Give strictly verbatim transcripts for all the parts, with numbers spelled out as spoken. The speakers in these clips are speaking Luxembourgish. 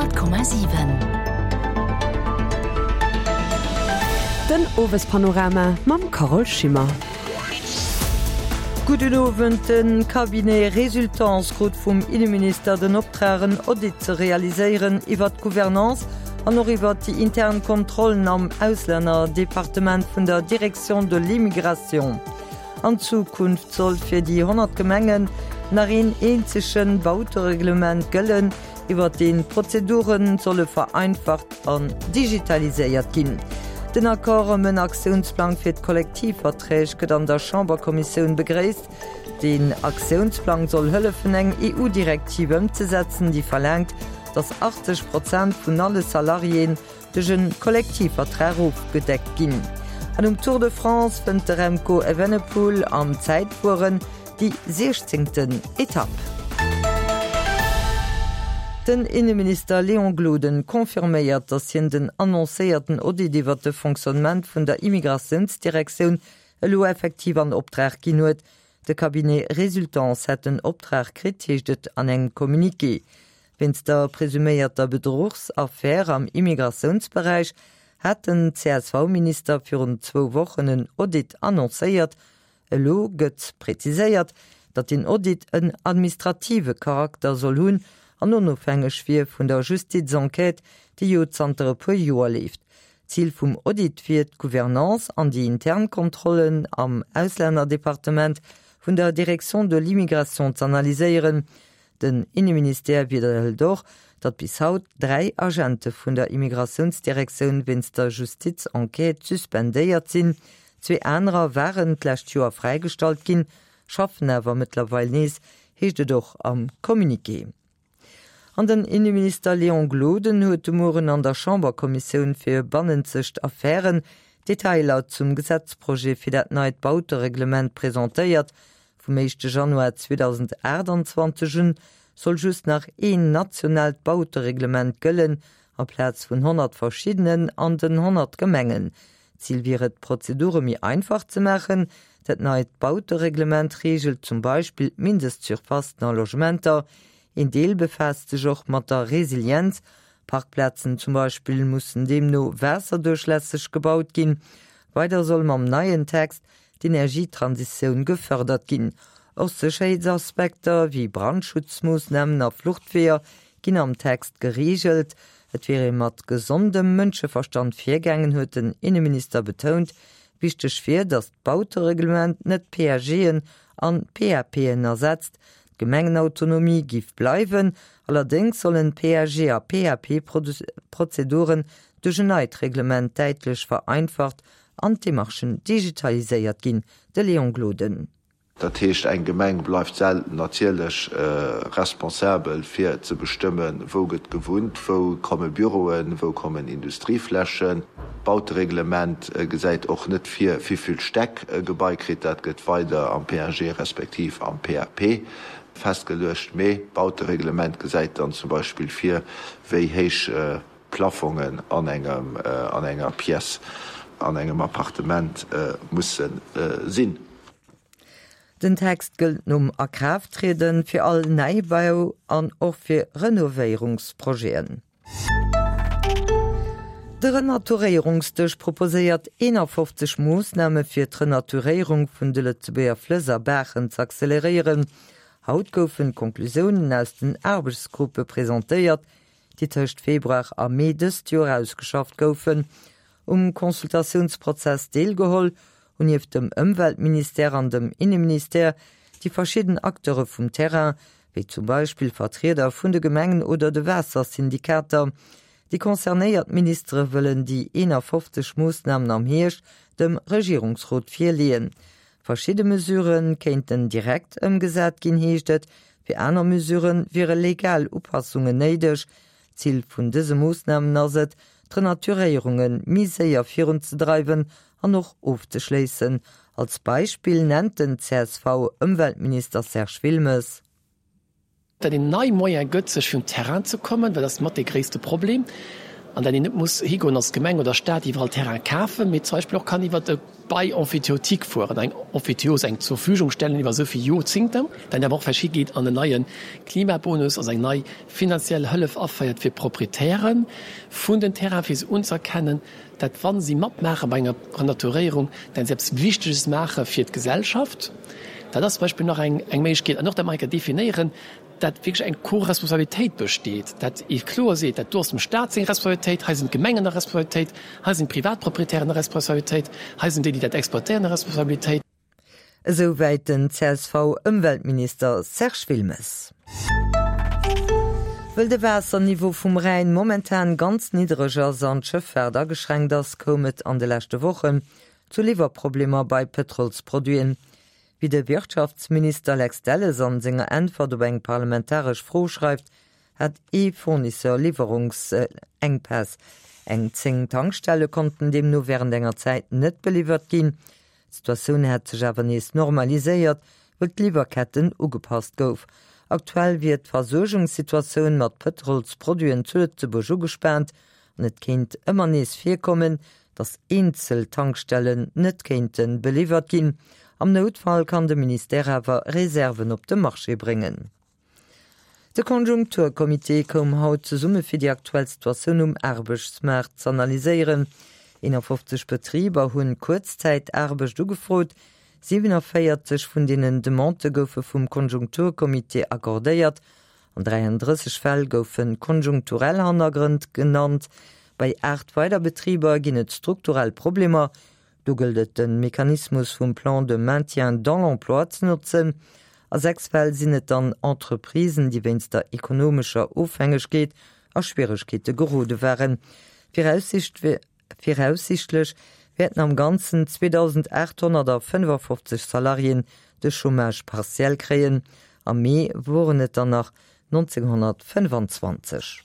Honnert Komma siwen. Den Owespanorama mam Carole Schimmer. Gudden Owend, De Cabinet Resultants krut vum Inneminister den Optrag en Audit ze realiséieren iwwert d'Gouvernance an och iwwert déi intern Kontrollen am Auslännerdepartement vun der Direction de l'immigration. An Zukunft soll fir déi honnert Gemengen nach een eenzege Bautereglement gëllen, iwwer deen d'Prozedure solle vereinfacht an digitaliséiert ginn. Den Accord ëm en Aktiounsplang fir d'Kollektivverträg gëtt an der Chamberkommissioun begréisst. Den Aktiounsplang soll hëllefen eng EU-Direktiv ëmzesetzen, déi verlaangt, datt achtzeg Prozent vun alle Salariéen duerch e Kollektivvertrag ofgedeckt ginn. An um Tour de France wënnt de Remco Evenepoel am Zäitfueren déi siechzéngten Etapp. Den Inneminister Léon Gloden confirméiert, datt hien den annoncéierten Audit iwwer de Fonctionnement vun der Immigratiounsdirektioun elo effektiv an Optrag ginn huet. De Cabinet Resultants hätt den Optrag kritt, heescht et an engem Communiqué. Wéinst der presuméierter Bedruchsaffär am Immigratiounsberäich hat den C S V-Minister virun zwou Wochen en Audit annoncéiert. Elo gëtt preziséiert, datt den Audit en administrative Charakter soll hunn an onofhängeg wier vun der Justiz-Enquête, déi jo zanter e puer Joer leeft. Zil vum Audit wier d'Gouvernance an déi intern Kontrollen am Auslännerdepartement vun der Direction de l'immigration z'analyséieren. Den Inneministère widderhëlt och, datt bis haut dräi Agente vun der Immigratiounsdirektioun wéinst der Justiz-Enquête suspendéiert sinn. Zwee anerer waren d'lescht Joer fräigestallt ginn, schaffen awer mëttlerweil nees, heescht et och am Communiqué. An den Inneminister Léon Gloden huet de Mueren an der Chamberkommissioun fir bannenzegt Affären Detailer zum Gesetzprojet fir dat neit Bautereglement presentéiert. Vum éischte Januar zweedausendachtundzwanzeg un soll just nach een nationaalt Bautereglement gëllen, amplaz vun honnert verschiddenen an den honnert Gemengen. Zil wier et, d'Prozedure méi einfach ze maachen. Dat neit Bautereglement reegelt zum Beispill d'Mindestsurfacen a Logementer. Een Deel befaasst sech och mat der Resilienz. Parkplazen zum Beispill mussen deemno waasserduerchlässeg gebaut ginn. Weider soll mam neien Text d'Energietransitioun gefërdert ginn. Och Sécherheetsaspekter wéi Brandschutzmoossnamen a Fluchtweeër ginn am Text gereegelt. Et wier ee mat gesondem Mënscheverstand virgaangen, huet den Inneminister betount. Wichteg wier, datt d'Bautereglement net P A G'en an P A P'en ersetzt. D'Gemengenautonomie giff bleiwen, allerdéngs sollen P A G a P A P-Prozeduren duerch en neit Reglement däitlech vereinfacht an d'Demarchen digitaliséiert ginn. De Léon Gloden. Dat heescht, eng Gemeng bleift selten natierlech, äh, responsabel fir ze bestëmmen, wou gëtt gewunnt, wou komme Büroen, wou kommen Industrieflächen. Bautereglement, äh, gesäit och net fir wie vill Steck, äh, Gebai kritt, dat gëtt weider am P A G respektiv am P A P festgeluecht. Mee Bautereglement gesäit dann zum Beispill fir, wéi héich, äh, Plafongen an engem, äh, an enger Pièce, an engem Appartement, äh, mussen, äh, sinn. Den Text gëllt nom Akrafttreden fir all Neibau an och fir Renovéierungsprojeten. De Renaturéierungsdësch proposéiert einundfünfzig Moossname fir d'Renaturéierung vun de Lëtzebuerger Flëss a Baachen ze acceleréieren. Haut goufen Konklusiounen aus den Aarbechtsgruppe presentéiert, déi tëscht Februar a Mee dëst Joer ausgeschafft goufen. Um Konsultatiounsprozess deelgeholl hunn nieft dem Ëmweltministère an dem Inneministère déi verschidden Acteure vum Terrain, wéi zum Beispill Vertrieder vun de Gemengen oder de Waassersyndikater. Déi concernéiert Ministere wëllen déi einundfünfzig Moossnamen am Hierscht dem Regierungsrot virleeën. Verschiedene Mesuren kéinten direkt ëmgesat ginn, heescht et. Fir aner Mesuren wiere legal Upassungen néideg. Ziel vun dëse Moossnamen ass et, d'Renaturéierungen méi séier virunzedreiwen an och ofzeschléissen. Als Beispill nennt den C S V-Ëmweltminister Serge Wilmes. Dat een nei Moyen gëtt, sech vum Terrain ze kommen, well das mat de gréisste Problem. An dat een net muss higoen als Gemeng oder Staat iwwerall Terrain kafen, mee zum Beispill och kann iwwert e Bail emphytéotique fueren, eng Emphytéose, eng Zurverfügungstellen iwwer esou vill Jorzingten, dann awer och vläicht higeet an en neie Klimabonus, also eng nei finanziell Hëllef aféiert fir d'Proprietäre vun den Terrainen, fir se unzëerkennen, dat wa si matmaache bei enger Renaturéierung, dann se eppes Wichteges maache fir d'Gesellschaft. Dat ass zum Beispill nach eng Méiglechkeet. An och dat mer eng Kéier definéieren, dat wierklech eng Co-Responsabilitéit besteet, dat ee kloer seet, dat do ass dem Stat seng Responsabilitéit, hei sinn d'Gemengen a Responsabilitéit, hei sinn d'Privatproprietären a Responsabilitéit, hei sinn déi, déi dat exploitéieren, a Responsabilitéit. Esou wäit den C S V-Ëmweltminister Serge Wilmes. Wëll de Waasserniveau vum Rhäin momentan ganz niddereg ass an d'Schëffaart ageschränkt ass, koum et an de leschte Wochen zu Liwwerproblemer bei Pëtrolsproduiten. Wéi de Wirtschaftsminister Lex Delles an senger Äntwert op eng parlamentaresch Fro schreift, hat ee Fournisseur Liwwerungsenkpäss. Eng zéng Tankstelle konnten deemno wärend enger Zäit net beliwwert ginn. D'Situatioun hätt sech awer nees normaliséiert, wëll d'Liwwerketten ugepasst gouf. Aktuell wier d'Versuergungssituatioun mat Pëtrolsproduiten zu Lëtzebuerg ugespaant an et kéint ëmmer nees virkommen, datt eenzel Tankstellen net kéinte beliwwert ginn. Am Noutfall kann de Ministère awer Reserven op de Marché bréngen. De Konjunkturkommitee koum haut zesumme fir déi aktuell Situatioun um Aarbechtsmaart z'analyséieren. eenafofzeg Betriber hunn Kuerzzäitaarbecht ugefrot, siewenavéierzeg vun deenen Demandë goufe vum Konjunkturkommitee accordéiert, an dräiandrësseg Fäll goufe konjunkturell Hannergrënn genannt. Bei aacht weider Betriber ginn et strukturell Problemer, do gëllt et de Mechanismus vum Plan de maintien dans l'emploi ze notzen. A sechs Fäll sinn et dann Entreprisen, déi wéinst der ekonomescher Ofhängegkeet a Schwieregkeete gerode waren. Viraussiichtlech wäerten am Ganzen zweedausendaathonnertfënnefafofzeg Salariéen de Chômage partiel kréien, am Mee woren et der nach nonzénghonnertfënnfanzwanzeg.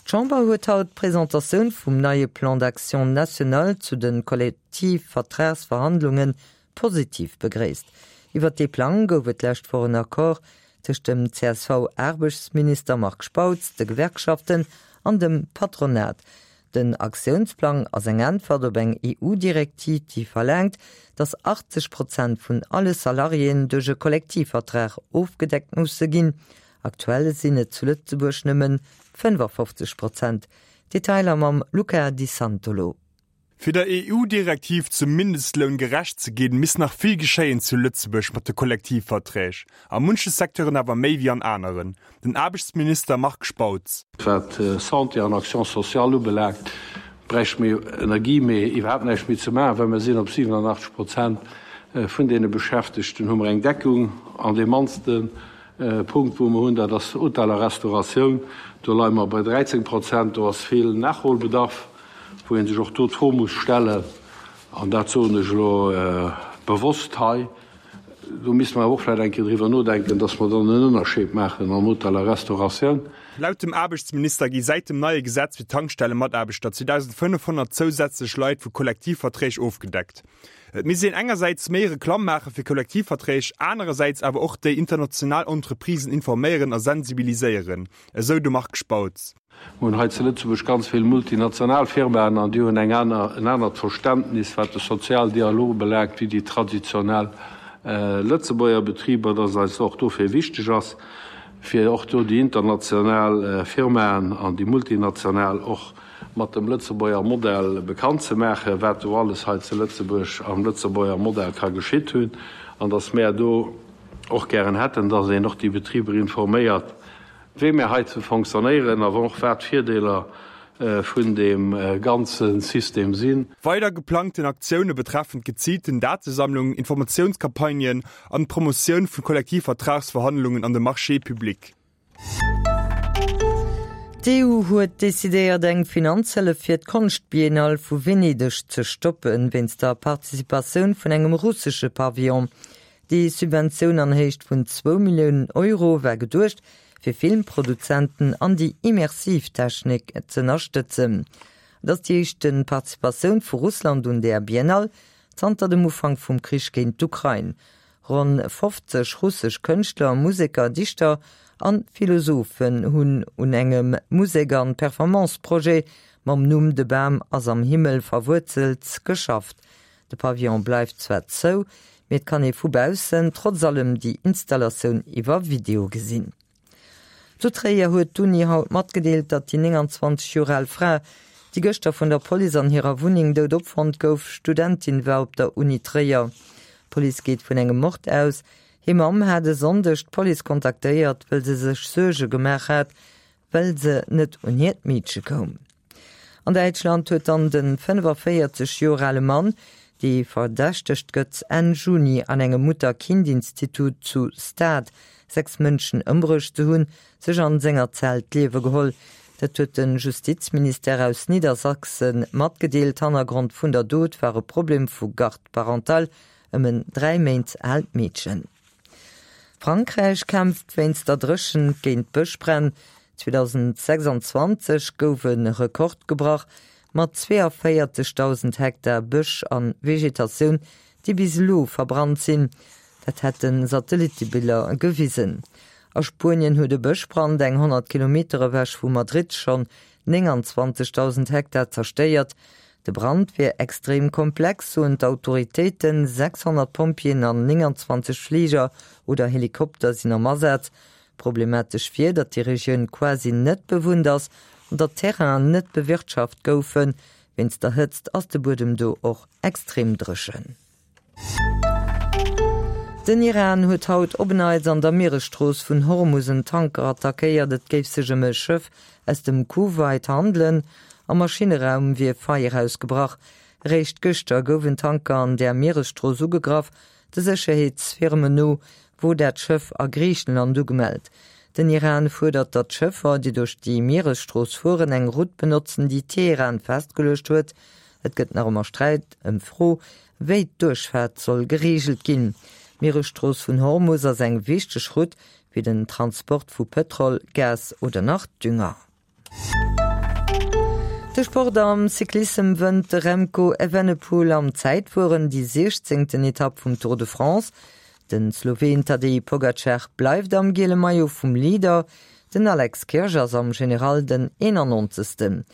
D'Chamber huet haut d'Presentatioun vum neie Plan d'action national zu de Kollektivvertragsverhandlunge positiv begréisst. Iwwer dee Plang gouf et d'lescht Woch en Accord tëscht dem C S V-Aarbechtsminister Marc Spautz, de Gewerkschaften an dem Patronat. Den Aktiounsplang ass eng Äntwert op eng E U-Direktiv, déi verlaangt, datt achtzeg Prozent vun alle Salariéen duerch e Kollektivvertrag ofgedeckt musse ginn. Aktuell sinn et zu Lëtzebuerg nëmmen fënnefafofzeg Prozent. Detailer mam Luca Di Santolo. Fir der E U-Direktiv zum Mindestloun gerecht ze ginn, misst nach vill geschéien zu Lëtzebuerg mat de Kollektivverträg. A munche Secteuren awer méi wéi an aneren. Den Aarbechtsminister Marc Spautz. Wat Santé an Action sociale ubelaangt, bräichte mir Energie méi iwwerhaapt näischt méi ze maachen, well mir sinn op siwenanachtzeg Prozent vun deene Beschäftegten hu mer eng Deckung. An dee mannste Punkt, wou mer hunn, dat ass Hotel a Restauratioun, do leie mer bei dräizéng Prozent. Do ass vill Nachholbedarf, wou ee sech och do d'Fro muss stellen, an dat soen ech elo bewosst hei, do misste mer awer och vläicht eng Kéier driwwer nodenken, dass mer dann en Ënnerscheed maachen am Hotel a Restauratioun. Laut dem Aarbechtsminister gi säit dem neie Gesetz fir Tankstellemataarbechter zweedausendfënnefhonnert zousätzlech Leit vu Kollektivverträg ofgedeckt. Et misst een engersäits méi Reklamm maache fir Kollektivverträg, anerersäits awer och déi international Entreprisen informéieren a sensibiliséieren, esou de Marc Spautz. Mir hunn hei zu Lëtzebuerg ganz vill multinational Firmaen an déi hunn eng aner, en anert Verständnis, wat de Sozialdialog ubelaangt, wéi déi traditionell Lëtzebuerger Betriber, dass eis och dofir wichteg ass, fir och do déi international Firmaen an déi multinational och mat dem Lëtzebuerger Modell bekannt ze maachen, wat do alles hei zu Lëtzebuerg am Lëtzebuerger Modell ka geschitt hunn, an dass mär do och gären hätten, dass een och déi Betriber informéiert, wéi mär hei ze fonctionnéieren a och wat d'Virdeeler vun deem ganze System sinn. Weider geplangten Aktioune betreffend geziilten Datesammlung, Informatiounscampagnen an d'Promotioun vu Kollektivvertragsverhandlungen an de Marchés publics. D'E U huet decidéiert eng Finanzhëllef fir d'Konschtbiennale vu Venedeg ze stoppen, wéinst der Participatioun vun engem russesche Pavillon. Déi Subventioun an Héicht vun zwou Milliounen Euro war geduecht, fir Filmproduzenten an déi immersiv Technik z'ënnerstëtzen. Et ass déi éischte Participatioun vu Russland un där Biennale zanter dem Ufank vum Krich géint d'Ukrain. Ronn fofzeg russesch Kënschtler, Museker, Dichter an Philosophen hunn un engem Musek an Performance-Projet mam Numm De Bam ass am Himmel verwuerzelt geschafft. De Pavillon bleift zwar zou, mee et kann ee vu baussen trotz allem déi Installatioun iwwer Video gesinn. Zu Tréier huet d'Uni haut matgedeelt, datt déi nénganzwanzeg Joer al Fra, déi gëschter vun der Police an hirer Wunneng dout opfonnt gouf, Studentin war op der Uni Tréier. D'Police geet vun engem Mord aus. Hir Mamm hat e Sonndeg d'Police kontaktéiert, wëll se sech Suerge gemaach hat, well se net un hiert Meedche koum. An Däitschland huet dann de fënnefaféierzeg Joer ale Mann, dee verdächtegt gëtt, Enn Juni an engem Mutter-Kind-Institut zu Stade sechs Mënschen ëmbruecht ze hunn, sech an senger Zell d'Liewe geholl. Dat huet de Justizministère aus Niedersachsen matgedeelt. Hannergrond vun der Dot war e Problem vu Garde parentale ëm en dräi Méint aalt Meedchen. Frankräich kämpft wéinst der Dréchent géint Bëschbränn. zweedausendsechsanzwanzeg gouf e Rekord gebrach, mat zweeënvéierzegdausend Hektar Bësch a Vegetatioun, déi bis elo verbrannt sinn. Dat hätte Satellittebiller gewisen. A Spuenien huet e Bëschbrand eng honnert Kilometer ewech vu Madrid schonn nénganzwanzegdausend Hektar zerstéiert. De Brand wier extrem komplex, soen d'Autoritéiten. sechshonnert Pompjeeën an nénganzwanzeg Fliger oder Helikopter sinn am Asaz. Problematesch wier, datt déi Regioun quasi net bewunnt ass an datt d'Terrainen net bewirtschaft goufen. Wéinst der Hëtzt ass de Buedem do och extrem dréchen. Den Iran huet haut op en Neits an der Mieresstrooss vun Hormus en Tanker attackéiert. Et géif sech ëm e Schëff aus dem Kuwait handelen. Am Maschinneraum wier Feier ausgebrach. Eréischt gëschter gouf en Tanker an där Mieresstrooss ugegraff. De Sécherheetsfirmen no wor dat Schëff a Griichenland ugemellt. Den Iran fuerdert, datt Schëffer, déi duerch déi Mieresstrooss fueren, eng Route benotzen, déi Teheran festgeluecht huet. Et gëtt nach ëmmer Sträit ëm d'Fro, wéi d'Duerchfaart soll gereegelt ginn. D'Mieresstrooss vun Hormus ass eng wichteg Route fir den Transport vu Pëtrol, Gas oder nach Dünger. De Sport Am Cyclissem wënnt de Remco Evenepoel am Zäitfueren déi siechzéngten Etapp vum Tour de France. Den Sloween Tadej Pogacar bleift am giele Maillot vum Leader, den Alex Kirsch ass am General den eenannonzegsten.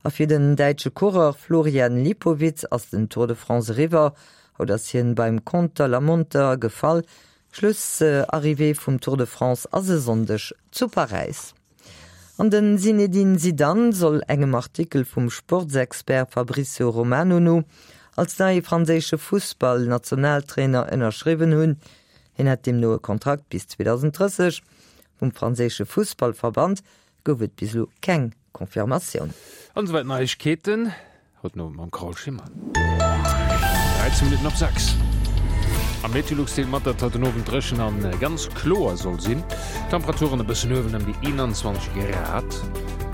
A fir den däitsche Coureur Florian Lipowitz ass den Tour de France eriwwer. Haut ass hien beim Contre-la-montre gefall. Schluss-Arrivée vum Tour de France ass e Sonndeg zu Paräis. An den Zinedine Zidane soll engem Artikel vum Sportsexpert Fabrizio Romano no als neie franséische Fussball-Nationaltrainer ënnerschriwwen hunn. Hien hätt deemno e Kontrakt bis zweedausenddrësseg. Vum franséische Fussballverband gouf et bis elo keng Confirmatioun. An esouwäit d'Neiegkeeten haut den Owend mam Carole Schimmer. dräizéng Minutten op sechs. A Meteolux deelt mat, datt haut den Owend dréchen an ganz kloer soll sinn. Temperaturen e bëssen uewen ëm déi eenanzwanzeg Grad.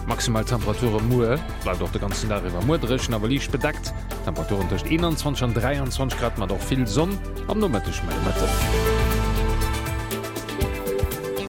Maximal Temperature muer bleift och de ganzen Dag iwwer muer dréchen, awer liicht bedeckt. Temperaturen tëscht eenanzwanzeg an dräianzwanzeg Grad mat och vill Sonn am Nomëtteg méi mëtten.